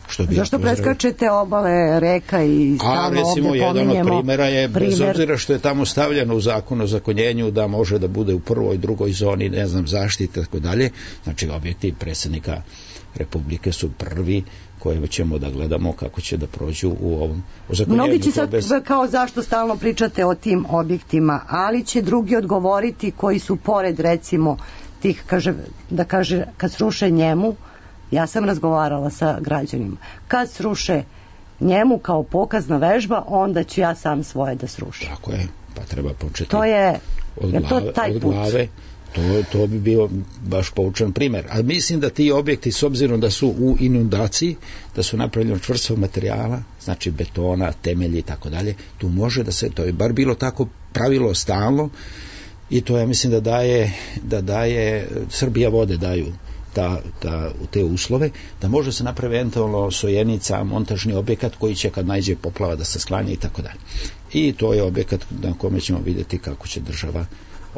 Što bi Zašto ja preskačete obale reka i stalno ovdje pominjemo? A recimo jedan od primjera je, primjer... bez obzira što je tamo stavljeno u zakonu o zakonjenju da može da bude u prvoj, drugoj zoni, ne znam, zaštite, tako dalje, znači objekti predsjednika Republike su prvi koje ćemo da gledamo kako će da prođu u ovom ozakonjenju. Mnogi će sad bez... kao zašto stalno pričate o tim objektima, ali će drugi odgovoriti koji su pored recimo tih, kaže, da kaže, kad sruše njemu, ja sam razgovarala sa građanima, kad sruše njemu kao pokazna vežba, onda ću ja sam svoje da srušim. Tako je, pa treba početi to je, od je glave, to taj od put. glave. To, to bi bio baš poučan primjer. A mislim da ti objekti, s obzirom da su u inundaciji, da su napravljeni od čvrstog materijala, znači betona, temelji i tako dalje, tu može da se, to je bar bilo tako pravilo stalno i to ja mislim da daje, da daje Srbija vode daju ta, ta, te uslove, da može se napravi eventualno sojenica, montažni objekat koji će kad najđe poplava da se sklanja i tako dalje. I to je objekat na kome ćemo vidjeti kako će država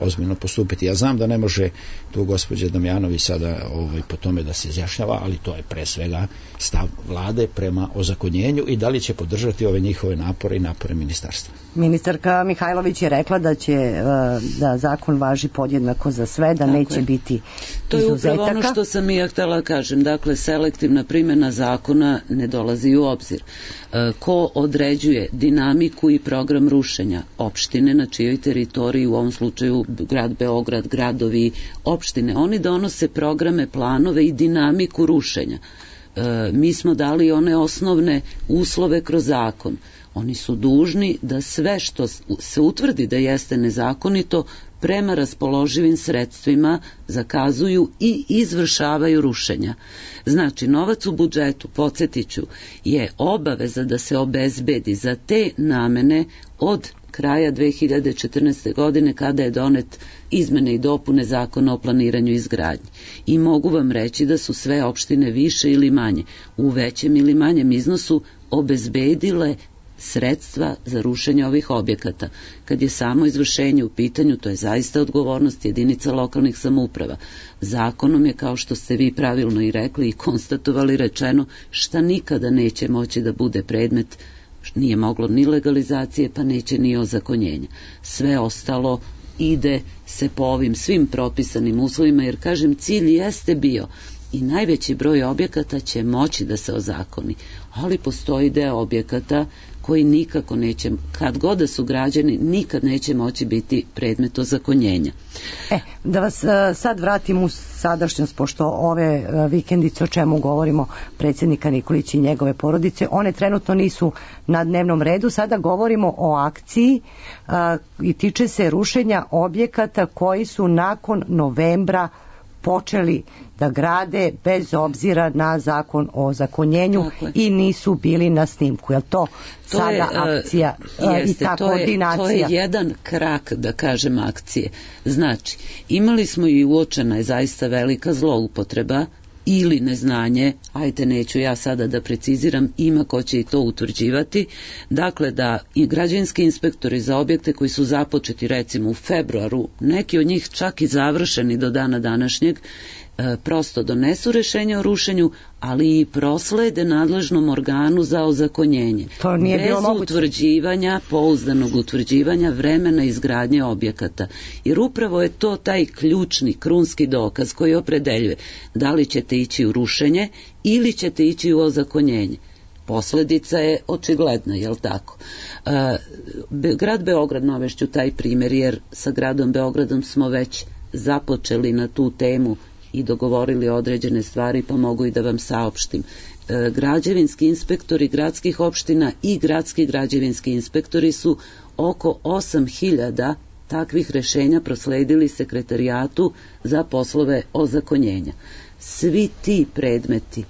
ozbiljno postupiti. Ja znam da ne može tu gospođa Damjanović sada ovaj, po tome da se izjašnjava, ali to je pre svega stav vlade prema ozakonjenju i da li će podržati ove njihove napore i napore ministarstva. Ministarka Mihajlović je rekla da će da zakon važi podjednako za sve, da tako neće je. biti to je izuzetaka. upravo ono što sam i ja htjela kažem. Dakle, selektivna primjena zakona ne dolazi u obzir. Ko određuje dinamiku i program rušenja? Opštine na čijoj teritoriji, u ovom slučaju grad Beograd, gradovi, opštine, oni donose programe, planove i dinamiku rušenja. E, mi smo dali one osnovne uslove kroz zakon. Oni su dužni da sve što se utvrdi da jeste nezakonito prema raspoloživim sredstvima zakazuju i izvršavaju rušenja. Znači, novac u budžetu, podsjetiću, je obaveza da se obezbedi za te namene od kraja dve hiljade četrnaeste. godine kada je donet izmene i dopune Zakona o planiranju i izgradnji. I mogu vam reći da su sve opštine više ili manje, u većem ili manjem iznosu obezbedile sredstva za rušenje ovih objekata. Kad je samo izvršenje u pitanju, to je zaista odgovornost jedinica lokalnih samouprava. Zakonom je, kao što ste vi pravilno i rekli i konstatovali, rečeno šta nikada neće moći da bude predmet, nije moglo ni legalizacije, pa neće ni ozakonjenja. Sve ostalo ide se po ovim svim propisanim uslovima, jer kažem, cilj jeste bio i najveći broj objekata će moći da se ozakoni, ali postoji deo objekata koji nikako neće, kad god da su građeni, nikad neće moći biti predmet ozakonjenja. E, da vas uh, sad vratim u sadašnjost, pošto ove uh, vikendice o čemu govorimo, predsjednika Nikolića i njegove porodice, one trenutno nisu na dnevnom redu. Sada govorimo o akciji uh, i tiče se rušenja objekata koji su nakon novembra počeli da grade bez obzira na zakon o zakonjenju i nisu bili na snimku. Je li to, to sada je, akcija uh, jeste, i ta to koordinacija? Je, to je jedan krak, da kažem, akcije. Znači, imali smo i uočena je zaista velika zloupotreba ili neznanje, ajte neću ja sada da preciziram, ima ko će i to utvrđivati, dakle da i građevinski inspektori za objekte koji su započeti recimo u februaru, neki od njih čak i završeni do dana današnjeg, e, prosto donesu rešenje o rušenju, ali i proslede nadležnom organu za ozakonjenje. To nije bez bilo moguće. Utvrđivanja, pouzdanog utvrđivanja vremena izgradnje objekata. Jer upravo je to taj ključni, krunski dokaz koji opredeljuje da li ćete ići u rušenje ili ćete ići u ozakonjenje. Posledica je očigledna, jel tako? E, grad Beograd, navešću taj primjer, jer sa gradom Beogradom smo već započeli na tu temu i dogovorili određene stvari, pa mogu i da vam saopštim. E, građevinski inspektori gradskih opština i gradski građevinski inspektori su oko osam hiljada takvih rešenja prosledili sekretarijatu za poslove ozakonjenja. Svi ti predmeti,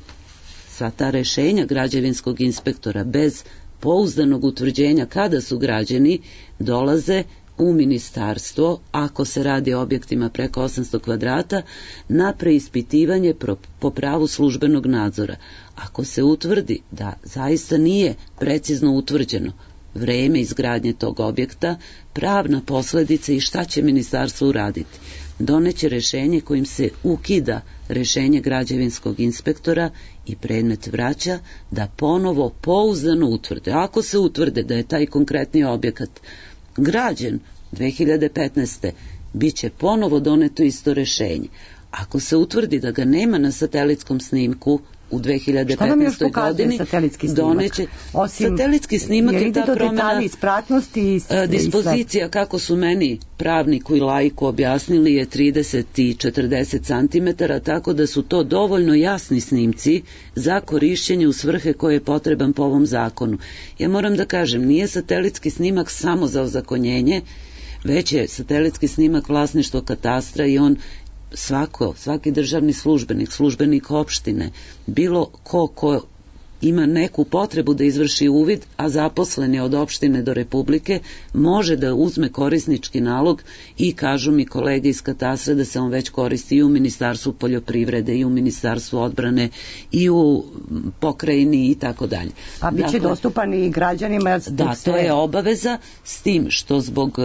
sva ta rešenja građevinskog inspektora bez pouzdanog utvrđenja kada su građeni, dolaze u ministarstvo, ako se radi o objektima preko osamsto kvadrata, na preispitivanje po pravu službenog nadzora. Ako se utvrdi da zaista nije precizno utvrđeno vreme izgradnje tog objekta, pravna posledica i šta će ministarstvo uraditi? Doneće rešenje kojim se ukida rešenje građevinskog inspektora i predmet vraća da ponovo pouzdano utvrde. Ako se utvrde da je taj konkretni objekat građen dve hiljade petnaeste. bit će ponovo doneto isto rešenje. Ako se utvrdi da ga nema na satelitskom snimku u dve hiljade petnaestoj. godini, doneće Osim, satelitski snimak je ta promjena ispratnosti i dispozicija, kako su meni pravniku i laiku objasnili, je trideset i četrdeset centimetara, tako da su to dovoljno jasni snimci za korišćenje u svrhe koje je potreban po ovom zakonu. Ja moram da kažem, nije satelitski snimak samo za ozakonjenje, već je satelitski snimak vlasništvo katastra i on svako, svaki državni službenik, službenik opštine, bilo ko ko ima neku potrebu da izvrši uvid, a zaposlen je od opštine do Republike, može da uzme korisnički nalog i kažu mi kolege iz katastra da se on već koristi i u Ministarstvu poljoprivrede i u Ministarstvu odbrane i u pokrajini i tako dalje. A bit će dakle, dostupan i građanima? Da, to je obaveza, s tim što zbog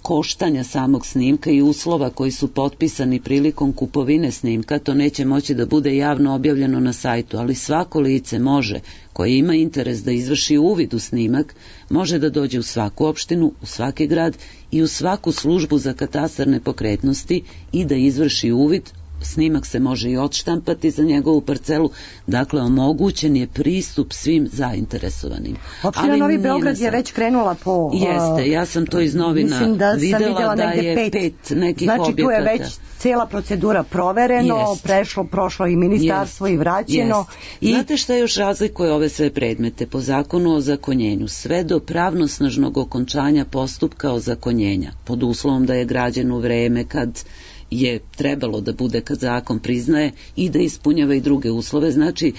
koštanja samog snimka i uslova koji su potpisani prilikom kupovine snimka, to neće moći da bude javno objavljeno na sajtu, ali svako lice može, koje ima interes da izvrši uvid u snimak, može da dođe u svaku opštinu, u svaki grad i u svaku službu za katastar nepokretnosti i da izvrši uvid. Snimak se može i odštampati za njegovu parcelu, dakle omogućen je pristup svim zainteresovanim. Opština Novi Beograd je već krenula po... Jeste, ja sam to iz novina da videla, videla da je pet, pet nekih znači, objekata. Znači tu je već cijela procedura provereno, jest. prešlo, prošlo i ministarstvo jest. i vraćeno. I... Znate šta još razlikuje ove sve predmete? Po zakonu o zakonjenju, sve do pravnosnažnog okončanja postupka ozakonjenja, pod uslovom da je građen u vreme kad je trebalo da bude, kad zakon priznaje, i da ispunjava i druge uslove. Znači,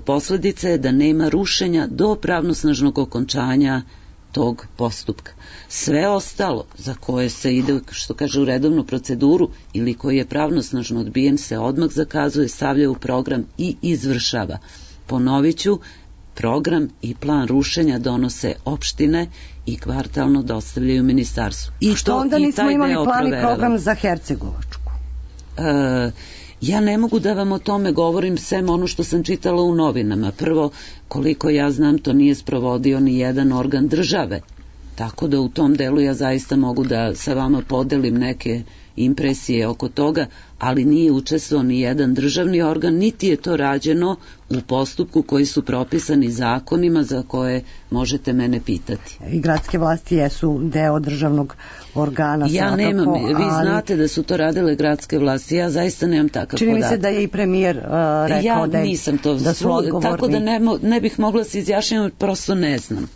posledica je da nema rušenja do pravnosnažnog okončanja tog postupka. Sve ostalo za koje se ide, što kaže, u redovnu proceduru ili koji je pravnosnažno odbijen, se odmah zakazuje, stavlja u program i izvršava. Ponovit ću, program i plan rušenja donose opštine i kvartalno dostavljaju ministarstvu. I što to, onda i nismo taj imali deo plan i proverava. program za Hercegovačku? E, ja ne mogu da vam o tome govorim sem ono što sam čitala u novinama. Prvo, koliko ja znam, to nije sprovodio ni jedan organ države. Tako da u tom delu ja zaista mogu da sa vama podelim neke impresije oko toga, ali nije učestvovao ni jedan državni organ, niti je to rađeno u postupku koji su propisani zakonima za koje možete mene pitati. I gradske vlasti jesu deo državnog organa. Ja svakako, nemam, vi ali... znate da su to radile gradske vlasti, ja zaista nemam takav Čini mi podatak. se da je i premijer uh, rekao ja da, je, nisam to, da su odgovorni. tako da ne, mo, ne bih mogla se izjašnjati, prosto ne znam.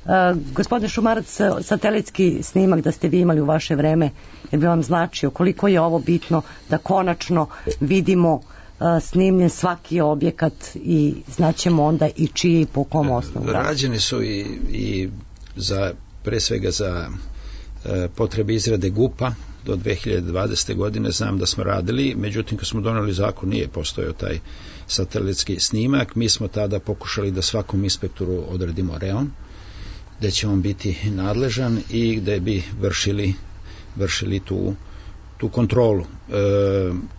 Uh, gospodine Šumarac, satelitski snimak da ste vi imali u vaše vreme, jer bi vam značio koliko je ovo bitno da konačno vidimo uh, snimljen svaki objekat i znaćemo onda i čiji i po kom osnovu. Rađeni su i, i za, pre svega za e, potrebe izrade gupa do dve hiljade dvadesete. godine, znam da smo radili, međutim kad smo doneli zakon nije postojao taj satelitski snimak. Mi smo tada pokušali da svakom inspektoru odredimo reon gde će on biti nadležan i gde bi vršili, vršili tu, tu kontrolu. E,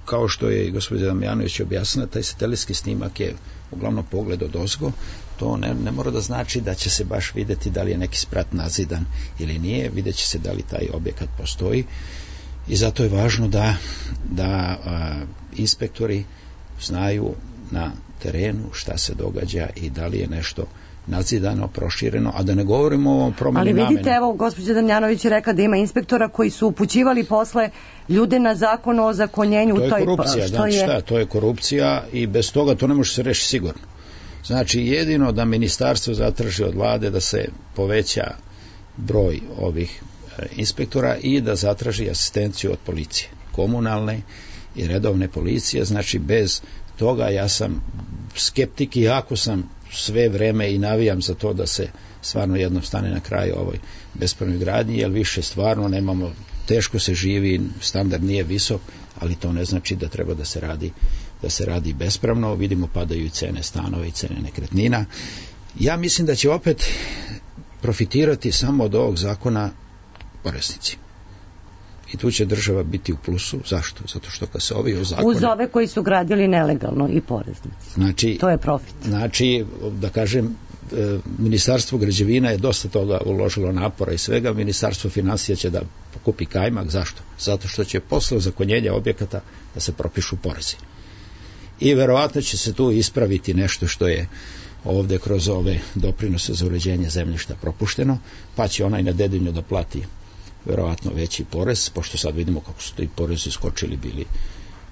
kao što je i gospodin Damjanović objasnila, taj satelitski snimak je uglavnom pogled od ozgo. To ne, ne mora da znači da će se baš videti da li je neki sprat nazidan ili nije, vidjet će se da li taj objekat postoji i zato je važno da, da a, inspektori znaju na terenu šta se događa i da li je nešto nadzidano, prošireno, a da ne govorimo o promjeni namene. Ali vidite, namene. Evo, gospođa Damjanović je rekla da ima inspektora koji su upućivali posle ljude na zakon o ozakonjenju. To je toj, korupcija, što znači je... šta, to je korupcija i bez toga to ne može se rešiti sigurno. Znači, jedino da ministarstvo zatraži od vlade da se poveća broj ovih e, inspektora i da zatraži asistenciju od policije, komunalne i redovne policije, znači bez toga ja sam skeptik i ako sam sve vreme i navijam za to da se stvarno jednom stane na kraj ovoj bespravnoj gradnji, jer više stvarno nemamo, teško se živi, standard nije visok, ali to ne znači da treba da se radi da se radi bespravno. Vidimo padaju i cene stanova i cene nekretnina. Ja mislim da će opet profitirati samo od ovog zakona poreznici. I tu će država biti u plusu. Zašto? Zato što kad se ovi zakone... Uz ove koji su gradili nelegalno i poreznici. Znači, to je profit. Znači, da kažem, Ministarstvo građevina je dosta toga uložilo napora i svega. Ministarstvo finansija će da pokupi kajmak. Zašto? Zato što će posle ozakonjenja objekata da se propišu porezi. I verovatno će se tu ispraviti nešto što je ovde kroz ove doprinose za uređenje zemljišta propušteno, pa će onaj na Dedinju da plati verovatno veći porez, pošto sad vidimo kako su ti porezi skočili bili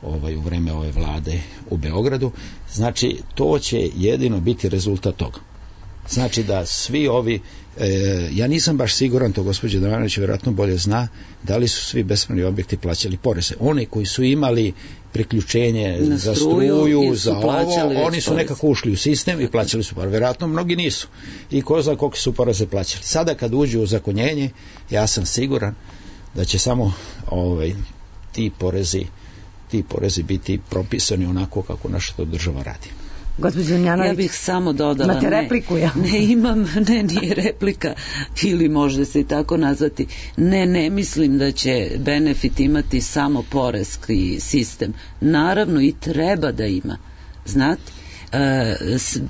ovaj, u vreme ove vlade u Beogradu. Znači, to će jedino biti rezultat toga. Znači da svi ovi, e, ja nisam baš siguran, to gospođa Damjanović vjerojatno bolje zna, da li su svi bespravni objekti plaćali poreze. Oni koji su imali priključenje na za struju, struju, za ovo, oni su porez. nekako ušli u sistem i plaćali su poreze. Vjerojatno mnogi nisu. I ko zna koliko su poreze plaćali. Sada kad uđu u zakonjenje, ja sam siguran da će samo ovaj, ti porezi, ti porezi biti propisani onako kako naša to država radi. Ja bih samo dodala, imate repliku, ja? ne, ne imam, ne, nije replika ili može se i tako nazvati, ne, ne mislim da će benefit imati samo poreski sistem, naravno i treba da ima, znate, e,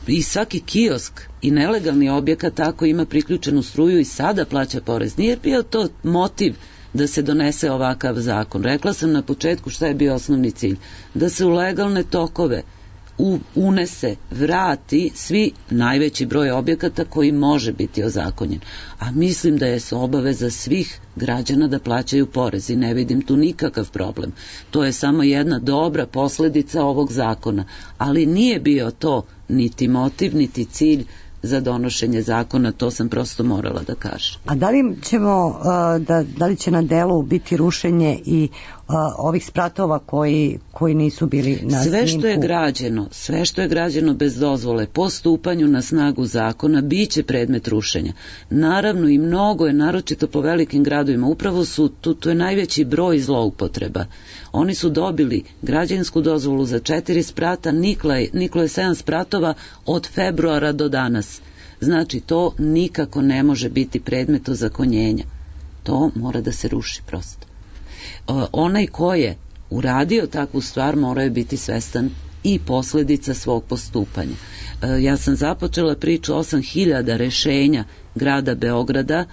i svaki kiosk i nelegalni objekat tako ima priključenu struju i sada plaća porez, nije bio to motiv da se donese ovakav zakon. Rekla sam na početku šta je bio osnovni cilj, da se u legalne tokove U, unese, vrati svi najveći broj objekata koji može biti ozakonjen. A mislim da je obaveza svih građana da plaćaju porez i ne vidim tu nikakav problem. To je samo jedna dobra posledica ovog zakona. Ali nije bio to niti motiv, niti cilj za donošenje zakona, to sam prosto morala da kažem. A da li ćemo, da, da li će na delu biti rušenje i a, ovih spratova koji, koji nisu bili na sve snimku. Što je građeno, sve što je građeno bez dozvole po stupanju na snagu zakona biće predmet rušenja. Naravno i mnogo je, naročito po velikim gradovima, upravo su, tu, tu je najveći broj zloupotreba. Oni su dobili građevinsku dozvolu za četiri sprata, niklo je, niklo je sedam spratova od februara do danas. Znači to nikako ne može biti predmet ozakonjenja. To mora da se ruši prosto. Onaj ko je uradio takvu stvar mora je biti svestan i posledica svog postupanja. Ja sam započela priču osam hiljada rešenja grada Beograda,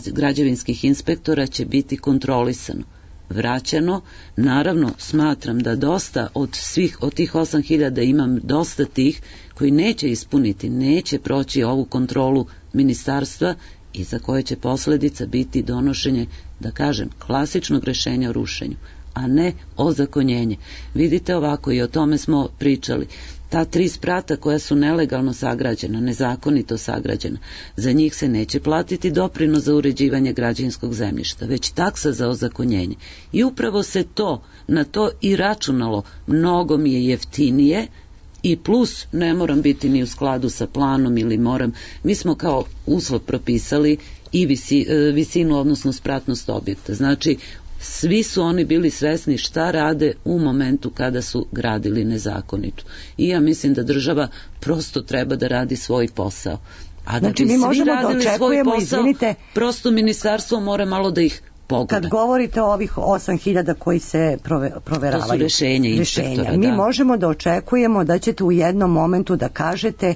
građevinskih inspektora će biti kontrolisano, vraćano. Naravno, smatram da dosta od svih, od tih osam hiljada imam dosta tih koji neće ispuniti, neće proći ovu kontrolu ministarstva i za koje će posledica biti donošenje, da kažem, klasičnog rešenja o rušenju, a ne ozakonjenje. Vidite ovako, i o tome smo pričali, ta tri sprata koja su nelegalno sagrađena, nezakonito sagrađena, za njih se neće platiti doprinos za uređivanje građevinskog zemljišta, već taksa za ozakonjenje. I upravo se to, na to i računalo, mnogo mi je jeftinije, i plus ne moram biti ni u skladu sa planom ili moram, mi smo kao uslov propisali i visi, visinu, odnosno spratnost objekta. Znači, svi su oni bili svesni šta rade u momentu kada su gradili nezakonito. I ja mislim da država prosto treba da radi svoj posao. A da znači, bi mi svi možemo radili da svoj očekujemo, posao, izvinite, prosto ministarstvo mora malo da ih pogleda. Kad govorite o ovih osam hiljada koji se prove, proveravaju, to su rešenja inspektora, mi da. možemo da očekujemo da ćete u jednom momentu da kažete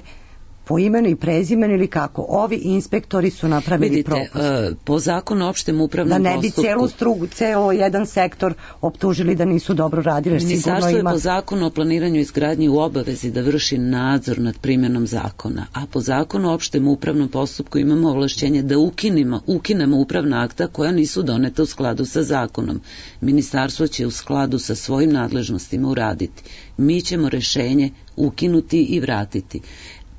po imenu i prezimenu ili kako, ovi inspektori su napravili Vidite, propust. Uh, po zakonu o opštem upravnom postupku. Da ne bi postupku, celu strugu, celo jedan sektor optužili da nisu dobro radili. Ministarstvo ima... je po zakonu o planiranju i izgradnji u obavezi da vrši nadzor nad primjenom zakona, a po zakonu o opštem upravnom postupku imamo ovlašćenje da ukinemo, ukinemo upravna akta koja nisu doneta u skladu sa zakonom. Ministarstvo će u skladu sa svojim nadležnostima uraditi. Mi ćemo rešenje ukinuti i vratiti.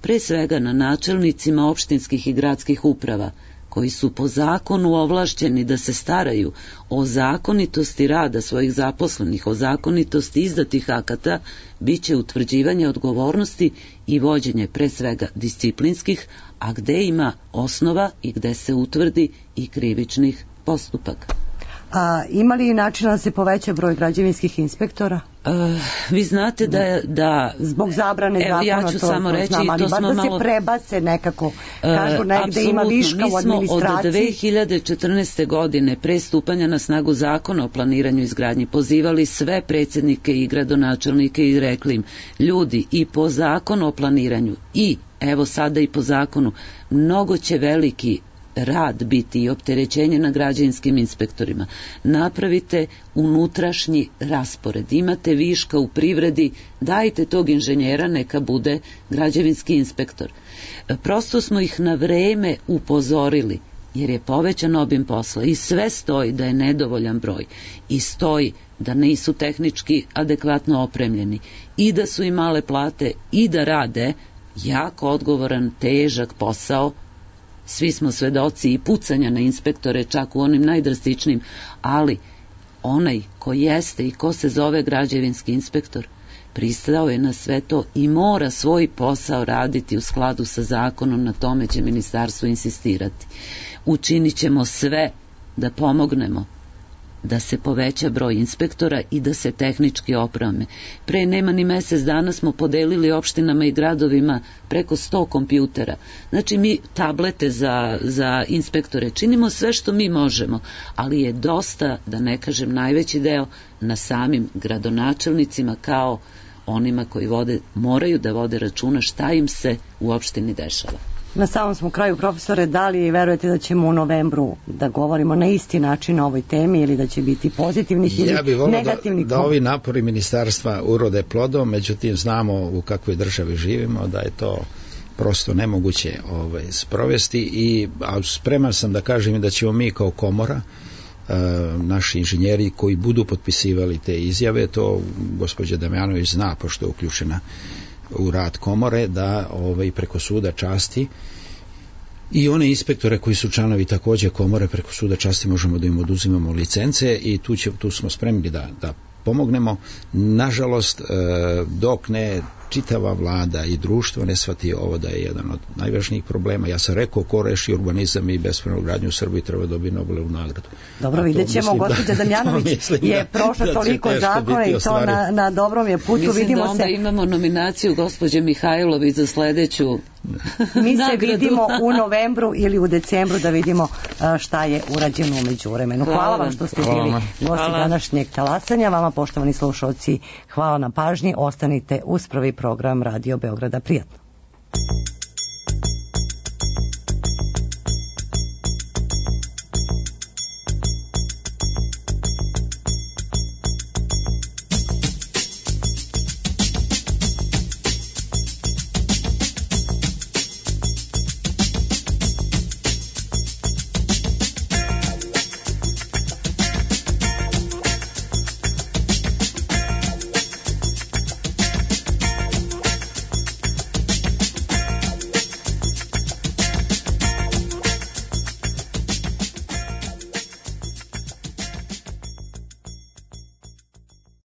Pre svega na načelnicima opštinskih i gradskih uprava, koji su po zakonu ovlašćeni da se staraju o zakonitosti rada svojih zaposlenih, o zakonitosti izdatih akata, bit će utvrđivanje odgovornosti i vođenje pre svega disciplinskih, a gde ima osnova i gde se utvrdi i krivičnih postupaka. A ima li načina da se poveća broj građevinskih inspektora? Uh, vi znate da... da Zbog zabrane zakona, ja ću to, samo to reći, znam, ali to smo da malo... se prebace nekako, kažu negde uh, ima viška u administraciji. Mi smo od dve hiljade četrnaeste. godine pre stupanja na snagu zakona o planiranju i izgradnji pozivali sve predsjednike i gradonačelnike i rekli im, ljudi, i po zakonu o planiranju i evo sada i po zakonu, mnogo će veliki rad biti i opterećenje na građevinskim inspektorima. Napravite unutrašnji raspored. Imate viška u privredi, dajte tog inženjera, neka bude građevinski inspektor. Prosto smo ih na vreme upozorili, jer je povećan obim posla i sve stoji da je nedovoljan broj i stoji da nisu tehnički adekvatno opremljeni i da su im male plate i da rade jako odgovoran, težak posao. Svi smo svedoci i pucanja na inspektore, čak u onim najdrastičnijim, ali onaj ko jeste i ko se zove građevinski inspektor pristao je na sve to i mora svoj posao raditi u skladu sa zakonom, na tome će ministarstvo insistirati. Učinit ćemo sve da pomognemo da se poveća broj inspektora i da se tehnički opreme. Pre nema ni mesec dana smo podelili opštinama i gradovima preko sto kompjutera. Znači mi tablete za, za inspektore činimo sve što mi možemo, ali je dosta, da ne kažem najveći deo, na samim gradonačelnicima kao onima koji vode, moraju da vode računa šta im se u opštini dešava. Na samom smo kraju, profesore, da li verujete da ćemo u novembru da govorimo na isti način o ovoj temi ili da će biti pozitivnih ili ja bih volio negativnih? Da, da ovi napori ministarstva urode plodom, međutim znamo u kakvoj državi živimo, da je to prosto nemoguće ovaj, sprovesti i a spreman sam da kažem i da ćemo mi kao komora, e, naši inženjeri koji budu potpisivali te izjave, to gospođa Damjanović zna pošto je uključena u rad komore, da ovaj, preko suda časti i one inspektore koji su članovi takođe komore, preko suda časti možemo da im oduzimamo licence i tu, će, tu smo spremni da, da pomognemo. Nažalost, dok ne čitava vlada i društvo ne shvati ovo da je jedan od najvažnijih problema. Ja sam rekao, ko reši urbanizam i bespravnu gradnju u Srbiji treba dobiti Nobelovu nagradu. Dobro, vidjet ćemo, gospođa Damjanović je prošla da toliko zakona i to na, na dobrom je putu. Mislim vidimo da onda se... imamo nominaciju gospođe Mihajlović za sledeću Mi se nagradu. vidimo u novembru ili u decembru da vidimo šta je urađeno u međuvremenu. Hvala, hvala vam što ste hvala bili gosti današnjeg talasanja. Vama, poštovani slušalci, hvala na pažnji. Ostanite uz prvi program Radio Beograda. Prijatno.